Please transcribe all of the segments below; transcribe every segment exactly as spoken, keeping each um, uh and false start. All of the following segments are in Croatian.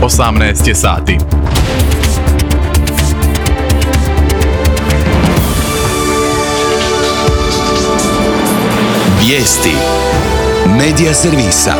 osamnaest je sati. Vijesti Medija servisa.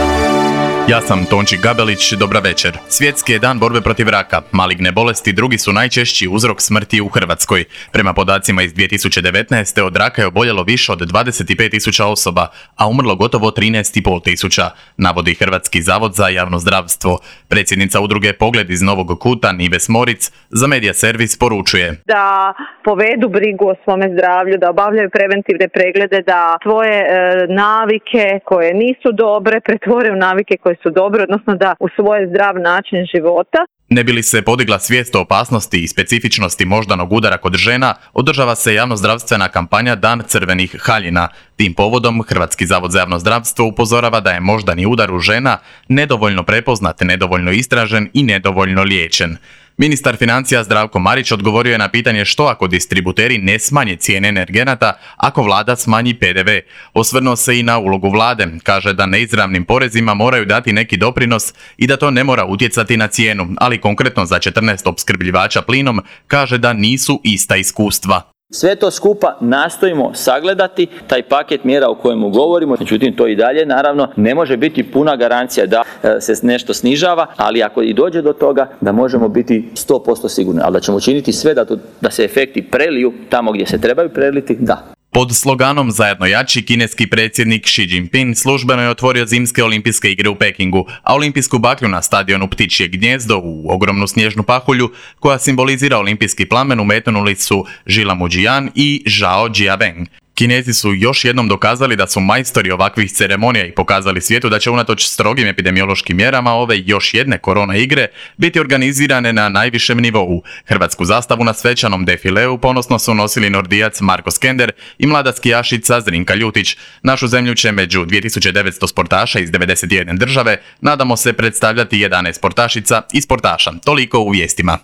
Ja sam Tonči Gabelić, dobra večer. Svjetski je dan borbe protiv raka. Maligne bolesti drugi su najčešći uzrok smrti u Hrvatskoj. Prema podacima iz dvije tisuće devetnaeste. od raka je oboljelo više od dvadeset pet tisuća osoba, a umrlo gotovo trinaest i pol tisuća, navodi Hrvatski zavod za javno zdravstvo. Predsjednica udruge Pogled iz Novog Kuta, Nives Moric, za Medija servis poručuje da povedu brigu o svome zdravlju, da obavljaju preventivne preglede, da svoje e, navike koje nisu dobre pretvore u navike koje su dobre, odnosno da u svoj zdrav način života. Ne bi li se podigla svijest o opasnosti i specifičnosti moždanog udara kod žena, održava se javnozdravstvena kampanja Dan crvenih haljina. Tim povodom Hrvatski zavod za javno zdravstvo upozorava da je moždani udar u žena nedovoljno prepoznat, nedovoljno istražen i nedovoljno liječen. Ministar financija Zdravko Marić odgovorio je na pitanje što ako distributeri ne smanje cijene energenata ako vlada smanji pe de ve. Osvrnuo se i na ulogu vlade. Kaže da neizravnim porezima moraju dati neki doprinos i da to ne mora utjecati na cijenu, ali konkretno za četrnaest opskrbljivača plinom kaže da nisu ista iskustva. Sve to skupa nastojimo sagledati, taj paket mjera o kojemu govorimo, međutim to i dalje naravno ne može biti puna garancija da se nešto snižava, ali ako i dođe do toga da možemo biti sto posto sigurni, ali da ćemo učiniti sve da, to, da se efekti preliju tamo gdje se trebaju preliti, da. Pod sloganom Zajedno jači, kineski predsjednik Xi Jinping službeno je otvorio zimske olimpijske igre u Pekingu, a olimpijsku baklju na stadionu Ptičje gnjezdo u ogromnu snježnu pahulju koja simbolizira olimpijski plamen umetnuli su Žila Muđijan i Zhao Jiaweng. Kinezi su još jednom dokazali da su majstori ovakvih ceremonija i pokazali svijetu da će unatoč strogim epidemiološkim mjerama ove još jedne korona igre biti organizirane na najvišem nivou. Hrvatsku zastavu na svečanom defileu ponosno su nosili nordijac Marko Skender i mlada skijašica Zrinka Ljutić. Našu zemlju će među dvije tisuće devetsto sportaša iz devedeset jedne države, nadamo se, predstavljati jedanaest sportašica i sportaša. Toliko u vijestima.